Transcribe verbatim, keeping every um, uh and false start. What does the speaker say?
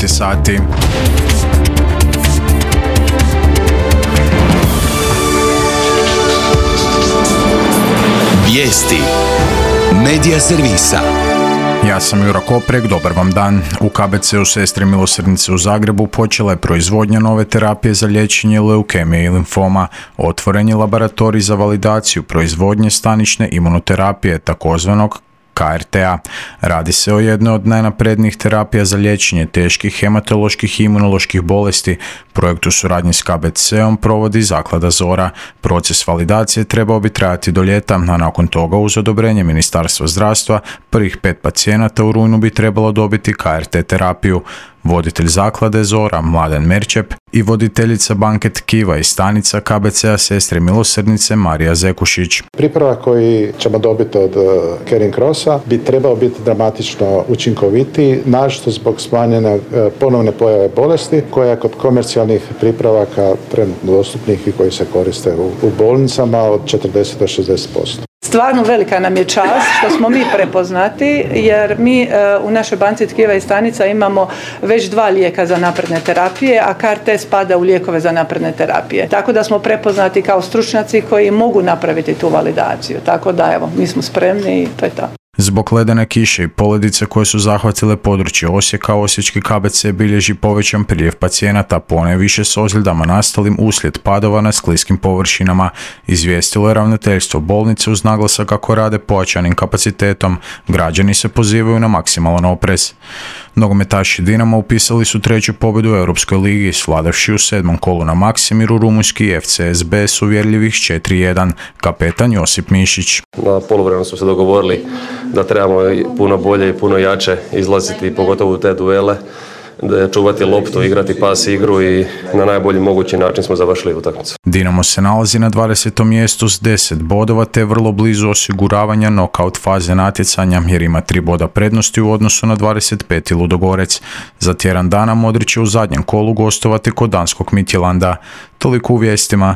devet sati. Vijesti Medija servisa. Ja sam Jura Koprek, dobar vam dan. U K B C-u Sestre milosrdnice u Zagrebu počela je proizvodnja nove terapije za liječenje leukemije i limfoma. Otvoren je laboratorij za validaciju proizvodnje stanične imunoterapije, takozvanog K R T-a. Radi se o jednoj od najnaprednijih terapija za liječenje teških hematoloških i imunoloških bolesti. Projekt u suradnji s K B C-om provodi Zaklada Zora. Proces validacije trebao bi trajati do ljeta, a nakon toga uz odobrenje Ministarstva zdravstva prvih pet pacijenata u rujnu bi trebalo dobiti K R T terapiju. Voditelj Zaklade Zora, Mladen Merčep, i voditeljica banke tkiva i stanica K B C-a Sestre milosrdnice Marija Zekušić. Pripravak koji ćemo dobiti od Caring Crossa bi trebao biti dramatično učinkovitiji, naročito zbog smanjene ponovne pojave bolesti koja kod komercijalnih pripravaka trenutno dostupnih i koji se koriste u, u bolnicama od četrdeset do šezdeset posto. Stvarno velika nam je čast što smo mi prepoznati, jer mi u našoj banci tkiva i stanica imamo već dva lijeka za napredne terapije, a K R T spada u lijekove za napredne terapije. Tako da smo prepoznati kao stručnjaci koji mogu napraviti tu validaciju. Tako da evo, mi smo spremni i to je to. Zbog ledene kiše i poledice koje su zahvatile područje Osijeka, osječki K B C bilježi povećan priljev pacijenata, ponajviše s ozljedama nastalim uslijed padova na skliskim površinama. Izvijestilo je ravnateljstvo bolnice uz naglasak kako rade pojačanim kapacitetom. Građani se pozivaju na maksimalan oprez. Nogometaši Dinama upisali su treću pobjedu u Europskoj ligi, svladavši u sedmom kolu na Maksimiru rumunjski F C S B s uvjerljivih četiri jedan. Kapetan Josip Mišić. Na poluvremenu smo se dogovorili da trebamo puno bolje i puno jače izlaziti, pogotovo u te duele, da čuvati loptu, igrati pas igru i na najbolji mogući način smo završili utakmicu. Dinamo se nalazi na dvadesetom mjestu s deset bodova te vrlo blizu osiguravanja nokaut faze natjecanja jer ima tri boda prednosti u odnosu na dvadeset peti Ludogorec. Za tjedan dana Modrić će u zadnjem kolu gostovati kod danskog Midtjylanda. Toliko u vijestima.